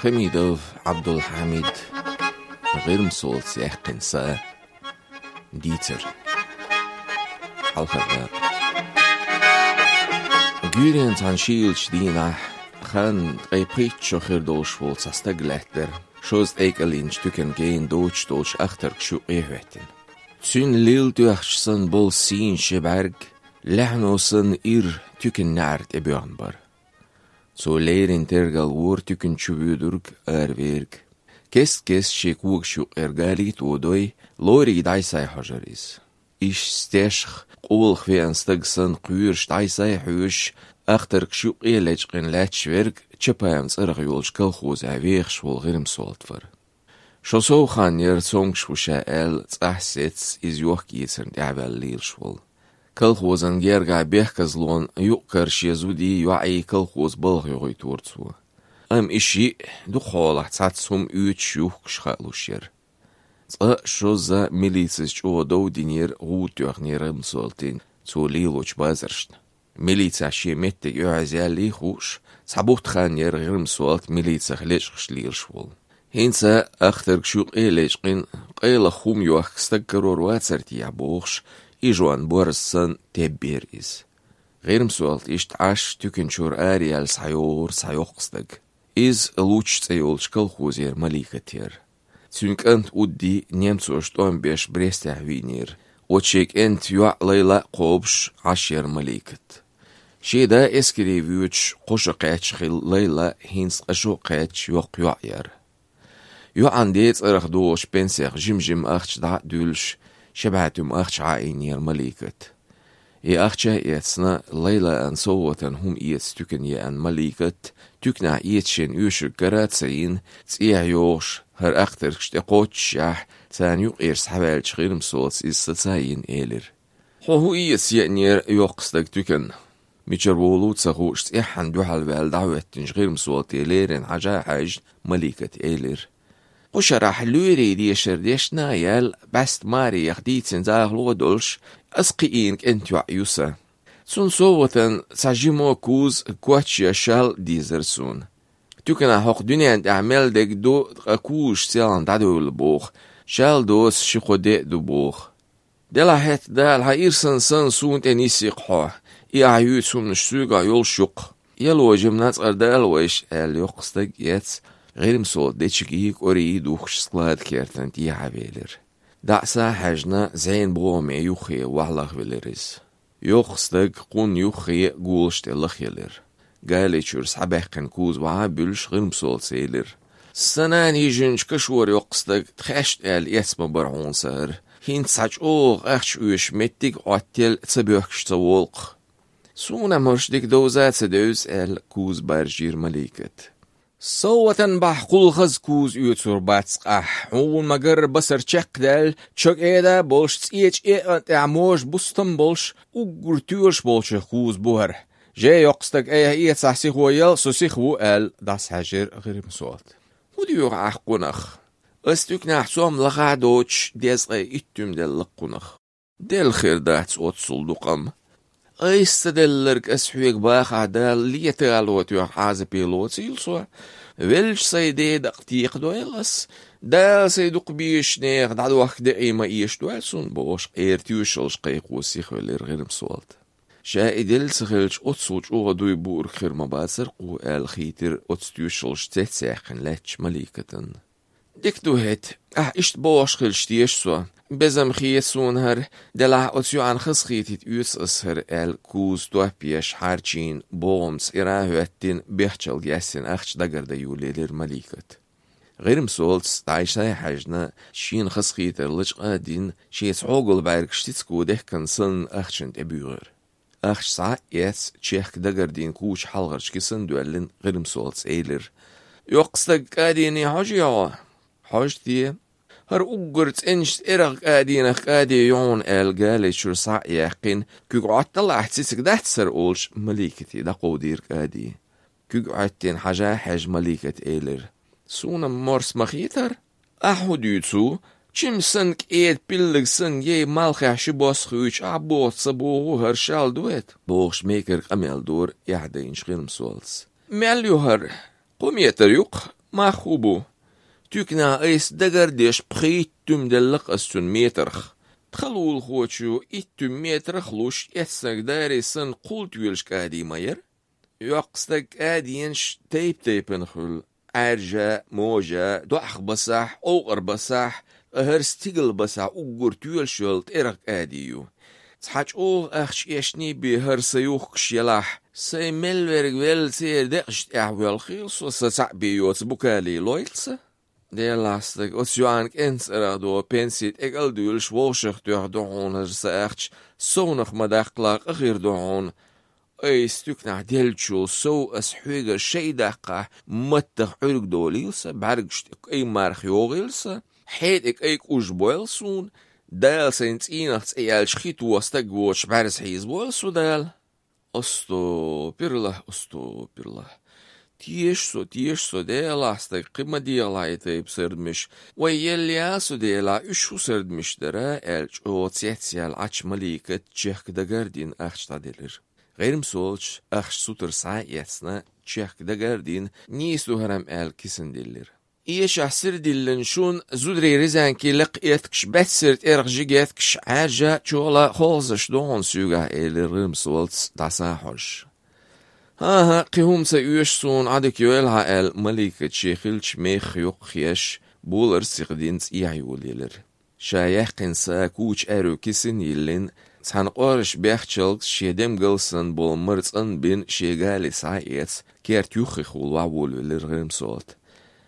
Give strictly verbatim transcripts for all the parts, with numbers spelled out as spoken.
خميدوف عبد الحميد غير مسول سيح قنصة ديتر حلقة جورين تانشيل شدينا خان قيبريت شو خير دوش فولس استقلتر شوز ايك الين شتوكن جين دوش دوش اختر شو ايهوتن تسون ليل دوخشسن بول سين شبارج لحنوسن اير توكن نارت ابيانبر سو ليرين ترغل وور تكن شبيدرگ اربيرگ كس كس شيكوك شو ارغالي تودوي لوري دايساي حجريز إيش ستاشخ قول خفي انستغسن قويرش دايساي حوش اخترق شو قيلج قن لاتشورگ چپايم صرغ يولش كالخوز عويخش والغرم سولتفر شو سو خان يرسونگ شو شاال تحسيتس إز يوخ كيسرن دعبال ليلش وال كالخوزن جيرغا بيحكزلون يؤكر شيزودي يوعي كالخوز بلغ يغي تورتسو ام إشي دخول احتاتسهم يوت شوخ كشخالو شير صا شوزا ميليتسش او دو دينير غوت يغنير مسولتين تو ليلوش بازرشن ميليتسا شي متك يعزيالي خوش صابوت خان ير غير مسولت ميليتسا خليش خشلير شوال هينسا اخترق شوق ايليش قين قيل خوم يوخ كستقرور واتسرتي يعبوخش إيجوان بورسن تبير إز غير مسؤولت إشت عاش تكن شور آريال سعيور سعيوقصدق إز لوش تسيولش كالخوزير مليكتير تسونك أنت ودي نيمسوش طوان بيش بريستع وينير وتشيك أنت يوع ليلة قوبش عشير مليكت شي دا اسكري فيوتش قوش قيتش خيل ليلة هينس قشو قيتش يوق يوعير يوع عنديت ارخ دوش بنسيخ جم جم اختش دع دولش شبعتم أخش عائنير مليكت إي أخشا يتسنا ليلة أن صوتن هم إيتس تكن يأن مليكت تكنا إيتشن يوشر قرات سين تسيح يوش هر أختر كشتقوت شاح سان يقيرس حبالش غير مسوس إستساين إيلر هو إيتس يأنير يوقصدك تكن ميشر بولو تسخوش تسيحن دوحل بالدعوتنش غير مسوس إيليرن عجا حاج مليكت إيلر وشرح لوري دي شرديشنا يال بست ماري يخديت سنزاغ لودولش اسقيينك انت وعيوسا سون صوتن ساجيمو كوز كواتش يشال ديزرسون توكنا حق دنيا انت اعمال دك دو اكوش سيلان دادو البوخ شال دوس شخو دي دو بوخ دلا هات دا الحقير سن سن سون تنيسي قحوح اي عيوت سون نشسوغا يول شق يلو جمنات اردال ويش ال يقصدك يتس غير مسول ديتشكيك أوري دوخش سلاد كيرتن تي عبيلر دعسا حجنا زين بومي يوخي وحلق بلرز يوخستك قون يوخي قولش تلخ يلر قالي شورس حباقن كوز وعابلش غير مسول سيلر سنان يجنش كشور يوخستك تخشت ال يسم برعون سار هين تساج اوغ اخش اوش متك عتل تسبيوكش تولق سونا مرش ديك دوزات سدوز ال كوز برجير مليكت صوتن بحقول خز كوز يوتسور باتسقح اول ما قرب بسر چق دل چق ايدا بولش تسيج ايه اعموش بستن بولش وقرتوش بولش خوز بوهر جاي يقصدك ايه ايه تسحسيخ ويال سوسيخو ال داس حجر غير مسوات وديوغ عحقونخ استوك نحسوم لغا دوش ديزغي اتم دل لقونخ دل خير داتس اوت صلدقم ايستدلرك اسحويك باخ عدال ليتالوت يوح عازي بيلوت سيلسوا ويلش سيدي دقتيق دويلس دال سيدوق بيش نيخ دعدو وقت دقيمة ايش دوالسون بوش ايرتيوشلش قيقو سيخو اللير غير مسوالت شا ادل سخلش اتسوش اوغ دوي بور خير مباسر قو ال خيتر اتستيوشلش تتساقن لاتش مليكتن ديك دوهت اه اشت بوش خلش تيشسوا بزم خيسون هر دلع اتسيو عن خص خيتت يوس اسهر ال كوز دوه بيش حارچين بومس اراهوتين بيحچل جاسين اخش دقر ديولي لير مليكت غير مسولتس دايشاي حاجنا شين خص خيتر لج قادين شيس عوغل باركش تتسكو دهكن سن اخشن تبيغر اخش ساعة يس تشيخ دقر دين كوش حلغرش كسن دوالين غير مسولتس ايلر يوقصدك قاديني حاجيا حاجتي هر اوغرت انشت ارغ قادينخ قادي يون ال قالي شور ساع يقين كيق عطل احتسك دهت سر اولش مليكتي دا قودير قادي كيق عطين حاجة حاج مليكت ايلر سونا مرس مخيتر احو ديوتسو چم سنك ايد بلغ سن يه مالخي شباس خوش عبوت صبوغو هر شال دويت بوغش ميكر قميل دور يعدين شغير مسولس ماليو هر قوم يتريق ما خوبو تكنا ايس دقر ديش بخيتم دلق السن ميترخ تخلول خوشو اتم ميترخ لوش اتسك داري سن قلت ويلش كادي ماير يقصدك ادينش تيب تيبن خل عرجة موجة دوخ بصح اوغر بصح هرستيغل بصح اوغر تويل شولت ارق اديو تحاج اوغ اخش اشني بهر سيوخ كشيلاح سي ملورق ويل سير دقشت احوال خيلس وستع بيوت بوكالي لويلس دي لاستك اوسيوانك انس ارادو بنسيت اقل دويلش ووشخ دوغ دوغون هرسا اخش سونخ مداخلاق اغير دوغون اي ستوكنا ديلشو سو اسحويغ شي دقا متخ عرق دوليلسا بعرقشت اي مارخ يوغيلسا حيدك ايك اوش بويلسون دال سينت اينخت ايال شخيط وستق ووش بارس حيز بويلسو دال استو بيرله استو بيرله تيشسو تيشسو ديلا استق قمة ديلا يتيب سردمش ويلياسو ديلا اشو سردمش درا الج او تيتسيال عش مليكة تشيخ دقاردين اخش تاديلر غير مسولش اخش سوتر ساعيتنا تشيخ دقاردين نيسو هرم ال كيسن ديلر ايش احسر ديلن شون زودري ريزان كي لقيتكش باتسرت ارغ جيجيتكش عاجة شولا خولزش دون سوغا الر مسولتس داساحوش ها ها قيهم سيوش سون عدك يوالها ال مليكة شيخلش ميخ يوخيش بولر سيقدينت ايعيوليلر شايح قنسا كوش ارو كيسن يلين تحن قارش بيخشلك شيدم قلسن بول مرتن بين شيغالي سايت كيرت يوخي خول وعول للغرم صوت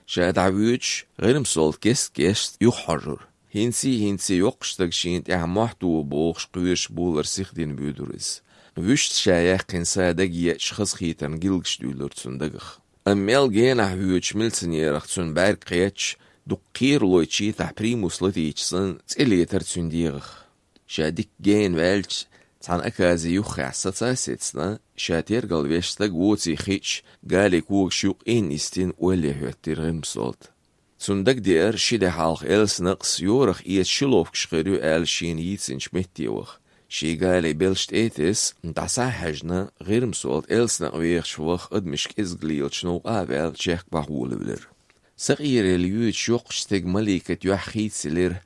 شاد عويتش غرم صوت كيست كيست يحرر هنسي هنسي يقشتك شينت اعمحتو بوخش قويش بولر سيخدين بيدرز وشت شايح قنسا دقيا شخص خيتن قلقش دولر تسندقخ اميل جينا هويتش ملتن يرختسن بار قيتش دقير لويتشي تح بريموس لتيتشسن تسئلي ترتسنديغخ شادك جين والش تان اكازي يوخي عسطا سيتسنا شاتير قلبيشتك ووتي خيتش قالي كوك شوق إن استين ولي هوتير غمسولت سندك دير شيدي حالق إلس نقص يورخ إيت شلوفك شخيريو آل شين يتسن شمتيوخ شي قالي بلشت إيتس انتعسا حجنا غير مسولت إلس نقويخ شوخ ادمشك إزقليل شنو قابل شيخ بحول بلر سغير اليوت شوقشتك مليكة يوحيت سلر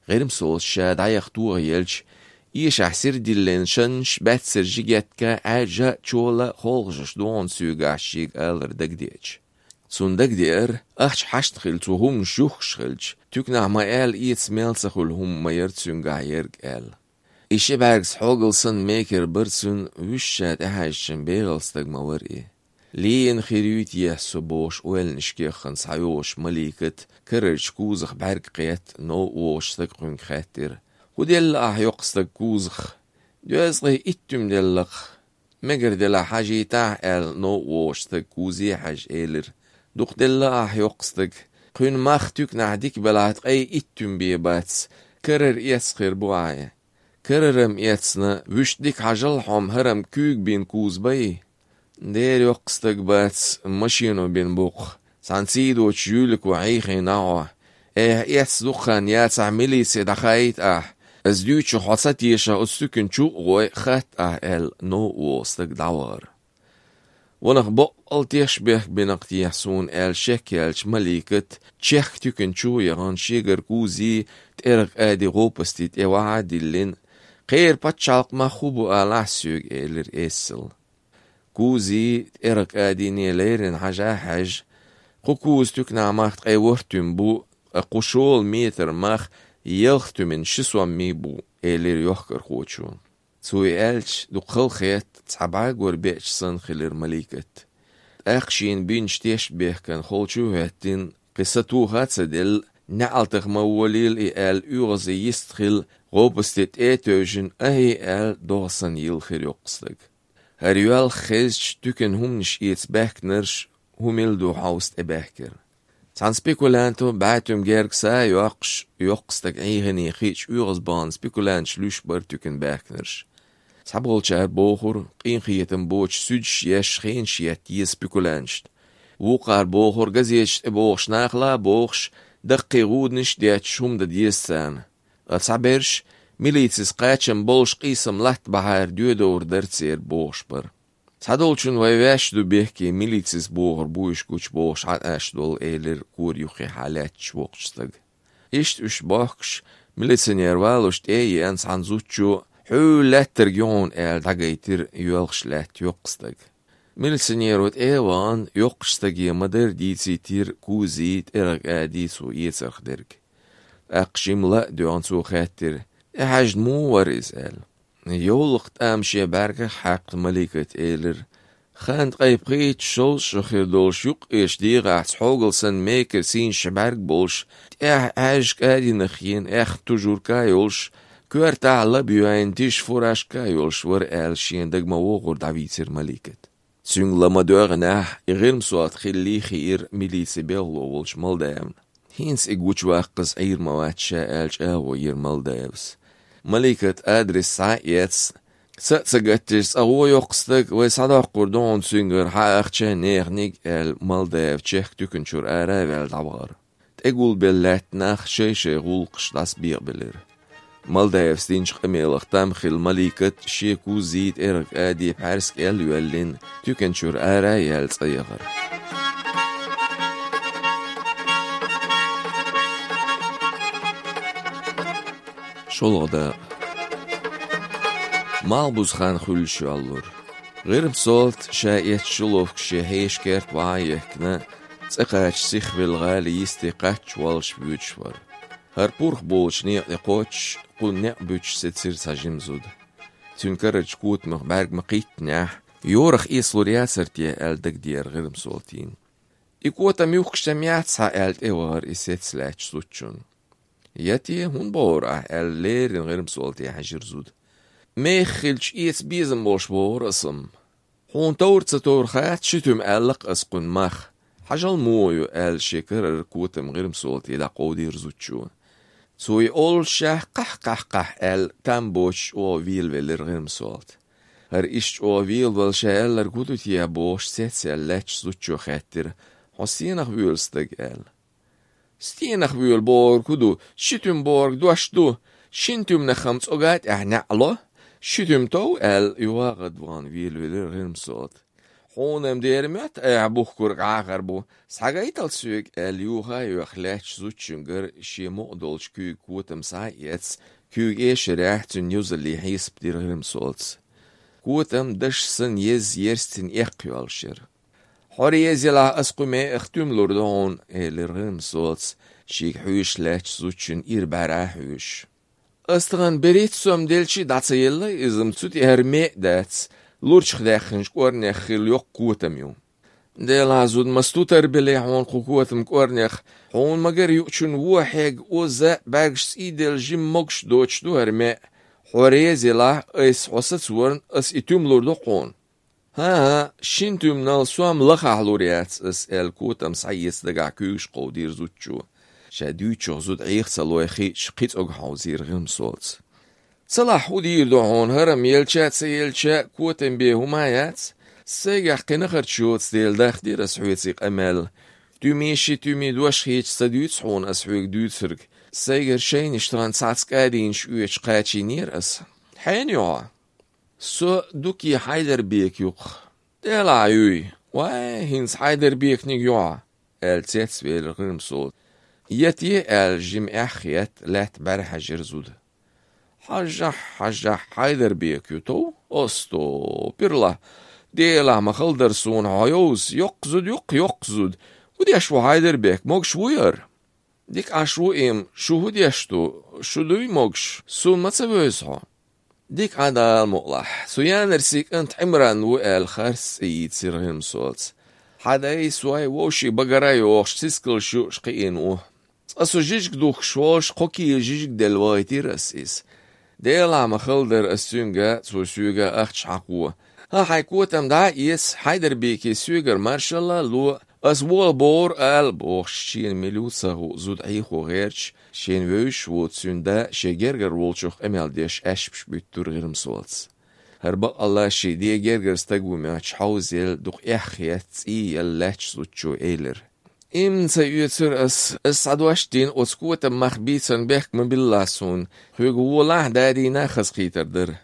غير مسولت شاد عيخ توغيلش إيش أحسر ديلين شنش باتسر جيجاتكا عاجة چولا خولغش دون سوغا شيق آلر دقديج سون دقدير أخش حشت خلت وهم شوخ شخلش تكنا ما آل إيت سميلسخ والهم ما يرتسونغا يرق آل إيش باركس حوغلسن ميكر برسون وشاد أحاشن بيغلستك مورئي لين خيريوت يحسو بوش ويل نشكيخن سعيوش مليكة كررش كوزخ بارك قيت نو ووش تقرن خاتر وديل أح يقصدك كوزخ دوازغي إتم دلق مگر دل حاجي تاع ال نو ووش تكوزي حاج إيلر دوق دل أح يقصدك قين ماخ تك نعديك بلعت أي إتم بيباتس كرر يسخير بوعي كررم يتسنا وش ديك حاجل حم هرم كوك بين كوز بي دير يقصدك باتس مشينو بين بوق سانسيدو تشيولك وعيخي ناوه إيه يتس دوخان ياتس عملي سيدخايت أح از دوچو حاصت يشا استكن شو غوي خات ال نو وستك دعوار ونخ بقل تيشبه بنقتي يحسون ال شكلش مليكة تشيخ تكن شو يغان شيغر كوزي تيرق ادي غوبستي تيوعا دلين غير باتشالق ما خوبو آلع سيوغ إلر إسل كوزي تيرق ادي نيليرن حاجا حاج قوكوز تكنا ماخت اي ورتم بو قشول ميتر ماخ يلختو من شسوا ميبو إلير يحكر خوتشو سوي ألش دو قل خيط تعباق وربيعش سن خلير مليكت أخشين بينش تيش بيه كان خوتشو هاتين قصتو هاتسدل نعلتغ موليل إيال يغزي يستخل غوبستت إيتوجن أهي آل دوغسن يلخير يقصدق هريوال خيزش تكن همنش إيتباكنرش هميل دو حوست إباكر تان سبيكولانتو بعتم جيركسا يوقش يقصدك عيهني خيش يغزبان سبيكولانش لوش برتوكن باكنرش سحبغلشا بوخور قين خيتم بوش سودش يش خين شيات يه سبيكولانشت وقار بوخور غزيش بوخش ناخلا بوخش دقي غودنش ديات شوم دا ديستان أتصعبرش ميليتسيس قاتشم بولش قيسم لحت بحار ديودور درتسير بوش بر Sadolchun vayvashdu behki milicis boğur bu iş güç boğuş aşdol eyler kur yuhi halet çvoqçtag. İşt üş bakş militsioner valuşt eyi en sanzuçu hülettir gyon el dagaytir yolxlet yoqstag. Militsionerot evan yoqstag yemadır dicitir kuzit erg adisu yetzergderg. Aqshimla duansu khattir ehajd mu wariz el. يولقت أمشي بركة حق ملكة إيلر خانت قيبقيت شوز شخير دول شوق إيش دي غاعت حوغلسن ميكر سين شبارك بولش إح عاج كادي نخين إح تجور كايولش كوار تعالى بيوين تيش فوراش كايولش ور آل شين دقما وغور دعويتر ملكة سيون لما دوغناح إغيرم سوات خلي خير مليسي بيغلو ولش مالداون هينس إقوش واقز عير مواتشا آلش آوو ير مالداوس ملكة أدرس سايتس ستسجتش أهو يقصدك ويصدق قردون سنجر حاقشة نيغنيك المالداف تشيخ تكنشور آراوال دعوار تقول بلات ناخ شي شي غولقش داس بيغ بلر مالداف ستينش قميلغ تامخل ملكة شيكو زيد إرق آدي بحرسك إل يولين تكنشور آراوال صيغر شولغدا مالبوز خان خلشو اللور غيرم صوت شايت شلوفك شهيش كيرت وعايكنا تسقاش سيخ بالغالي يستيقاتش والش بيوتشور هر بورخ بولش نيق يقوتش قول نيق بيوتش ستسير ساجمزود تنكرج كوت مخبارك مقيت ناح يورخ إيسلو رياسرتي ألدك دير غيرم صوتين إكوتا ميوخش تميات سا ألد إوار إسيت سلاش سوتشون ياتي هون بورا الليرين غير مسولتي حجر زود ميخلش إيس بيزم بوش بور اسم هون تور تسطور خات شتم ألق أسقن مخ حجل مويو أل شكر الكوتم غير مسولتي دا قودي رزوتشو سوي أول شاه قح قح قح أل تنبوش أو ويل ويلر غير مسولت هر إشت أو ويل والشا أل ركودو تيا بوش سيتسي ألاتش زوتشو خاتر حسينخ ويلستق أل ستينخ بيول بورg كدو شتم بورg دوشتو شنتم نخمس أوقات إحنا الله شتم تو ال يواقد وان ويل ويل غير صوت حونم ديرمت أعبوه كرق عقربو سحقايت السوق ال يوها يخلاتش زوتشنجر شي مقدولش كي كوتم سايتس كي إيش راحتن يوزلي حيس بدير غير صوت كوتم دش سن يز يرستن إقيالشر حوريزيلا أسقمي اختم لردون الرغم صوت شيك حوش لاتش زوتشن إربارا حوش أستغن بريت سوم دلشي داتسيلا إزم تسوتي هرمي داتس لورش خداخنش كورنيخ خيل يوق قوتم يوم ديلا زود مستوتر بلي حون قوتم كورنيخ حون مگر يوچن وحيق وزا باقش سيدل جيم مقش دوچ دو هرمي حوريزيلا إس حسد ورن أس إتوم لردو قون ها شنتم نال سوام لخالوريات اس ال كوتم سايس دغا كوش قودير زوتشو شاديوچو زود عيخ سلوخي شقيت اوغ حوزير غيم صوت صلاح ودير دهون هرم يلشات سيلشا كوتم بهمايات سيغا قنخر شوت ستيل داخ دير اسحويتيق امل دوميشي تومي دوش هيج سديوت حون اسحويق دوتسرك سيغر شين اشتران ساتس قادين شويش قاتشي نير اس حين يوع سو دوكي حيدر بيك يوق ديلا عيوي واي هنس حيدر بيك نيجوع ال تيتس بيل غيرم صوت يتي ال جيم اخيت لات برح جرزود حاجة حاجة حيدر بيك يوتو أستو بيرلا ديلا مخلدر سون عيوز يقزد يق يقزد ودي أشو حيدر بيك موغش وير ديك أشو إم شو هدي أشتو شو دوي موغش سون ما تسويسها ديك عدا المقلح سويان رسيك انت عمران وقال خارس ايد سيرهم صوت حدا يسواي ووشي بقراي ووش تسكل شو شقينوه اسو جيجك دوخ شوش قوكي جيجك دلوايتي رسيس ديلا مخلدر السونجا سو سوغا اختش حقوه ها حيكوتم دا يس حيدر بيكي سوغر مارشالله لو اس وول بور ال بوخ شين ملوسه زود عيخو غيرش شين ويش وتسوندا شجرجر وولشوخ امال ديش اشبش بيتور غيرم صوت هربق الله شي دي جرجر استقوي ماتش حوزيل دوخ اخيت اي اللاتش زوتشو ايلر ام سيوتر اس اس عدواشتين اوسكوت مخبيتن بيك من باللاسون هيغو والله دادي ناخذ قيتر در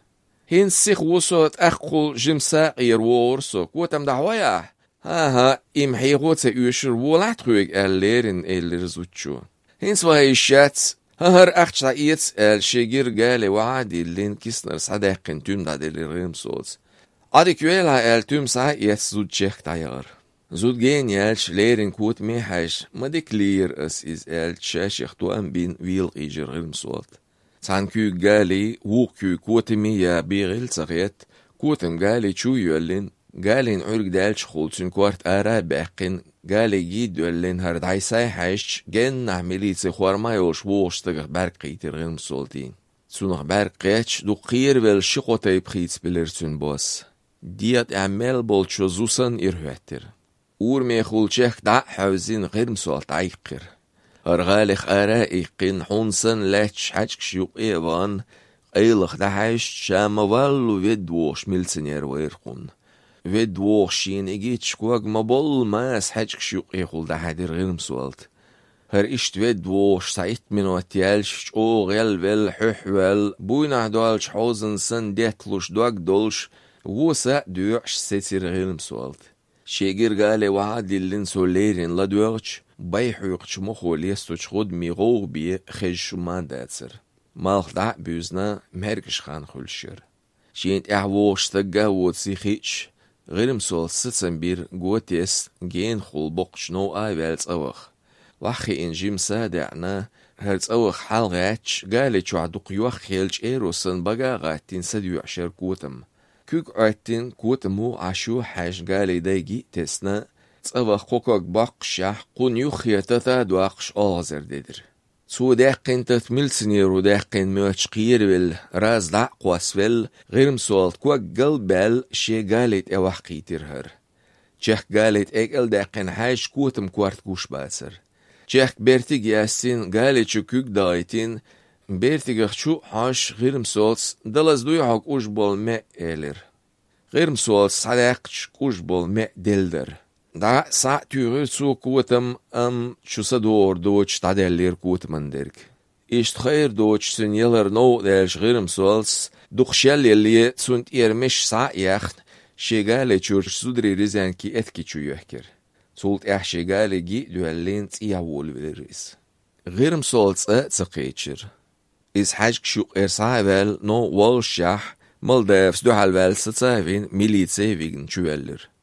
هين سيخ وصوت أخقل جمسا يروور سو قوتم دعويا ها ها إم حيغوت يوشر ولات خويق الليرن اللي زوتشو هين سواهي الشات هر أخش عيت الشيجير قالي وعادي اللين كيسنر صداقين تيم دا ديلي ريم صوت عادي كويلها التيم ساعيت زود شيخ تايغر زود جين يالش ليرن كوت ميحاش ما دي كلير اس إز الشاش يختو أم بين ويل إيجر ريم صوت سان كو قالي ووكو كوتمي يا بيغل صغيت كوتم قالي شو يولين قالين عرق دالش خولتن كوارت آرا باقين قالي جيد يولين هرد عيساي حاش جن نعملي تسيخوار ما يوش ووش تغر برقي ترغن مسولتين سونغ برقيتش دو قير ول شقوتي بخيت بلرتن بوس ديات اعمال بولشو زوسن إرهوتر اور ميخول شيخ دا حوزين غير مسولت عيقر هرغالخ آرا إيقين حونسن لاتش حاجك شيوق إيوان قيلخ دا حاش شام والو ويدوش ملسنير ويرقون ويدوشين إجيت شكواق مبول ماس حاجك شيوق إيقول دا حادر غير مسولت هر إشت ويدوش سايت من واتيالش شو غيل ويل حوحوال بوينع دوالش حوزن سن ديتلوش دوك دولش ووسا دوعش ستير غير مسولت شيجير قالي وعادي اللين سوليرين لا دوغش بايحوقش مخو ليستوش خود ميغوغ بي خيج شمان داتسر مالخ دع بيوزنا مهركش خان خلشير شينت احووش تقا وتسيخيش غير مسول ستسن بير قوتيس جين خول بقش نو آي والز اوخ وحي انجيم سادعنا هرز اوخ حال غاتش قالي چو عدوق يوخ خيلج ايروسن بقا غاتين سديو عشر كوتم كوك عتين كوتمو عشو حاج قالي دايجي تسنا تصوخ قوكوك باقشح قون يخيتتا دواقش آغزر ديدر سو داقين تتميل سنيرو داقين موش قير ويل راز دع قواس ويل غير مسولت كوك قلبال شي قاليت اوح قيتر چخ قاليت اقل داقين حاج كوتم كوارت كوش باسر چخ بيرتيق ياسين قاليت شو كوك دايتين بيرتيق شو حاش غير مسولت دلز دوي حق اوش بول ما ايلر غير مسولت صداقش كوش بول ما دلدر دا سا تيغير سو كوتم ام شو سدور دوش تعدلير كوتمن درك إشت خير دوش سن يلر نو دالش غير مسولس دوخشال يلي سنت إيرمش سا يخت شيغالي چورش سودري ريزان كي اتكي چو يحكر سولت اح شيغالي جي دوالين تياول بالرئيس غير مسولس اه تسقيتشر إز حاجك شو إرسايبال نو والشاح مالدافس دو حالبال ستسايفين ميليتسي ويغن چوالر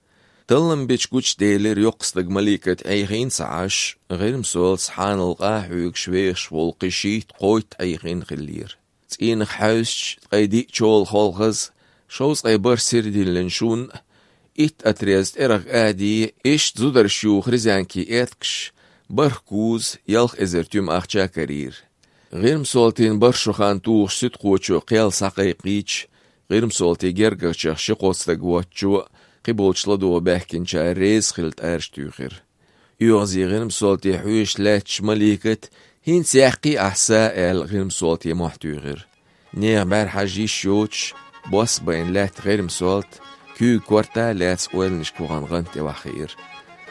تلم بيش كوش ديلر يقصدق ملكة ايغين سعاش غير مسول سحان القاحوك شويش والقشيت قويت ايغين خلير تين حوش قيدي شول خولغز شوز ايبر سيردي لنشون ات اتريزت ارغ ادي اشت زودر شيوخ رزانكي اتكش بركوز يلخ ازرتيوم اخشا كرير غير مسولتين برشوخان توخ ست قوچو قيل ساقيقيش غير مسولتي جرگرچخ شقوصدق واتشو قبولشلا دو بحكين شا ريز خلت ارش تيخر يوغزي غير مسولتي حويش لاتش مليكت هين سيحقي احساء ال غير مسولتي محتوغر نيغ بار حاجي شوتش بوس بين لات غير مسولت كو كورتا لات سوال نشكوغان غنتي وخير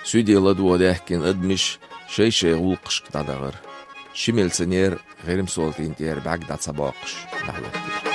سودي لدو داحكين ادمش شي شي غولقش قدادغر شميل سنير غير مسولتي انتير بعقدات سباقش نحلوكتير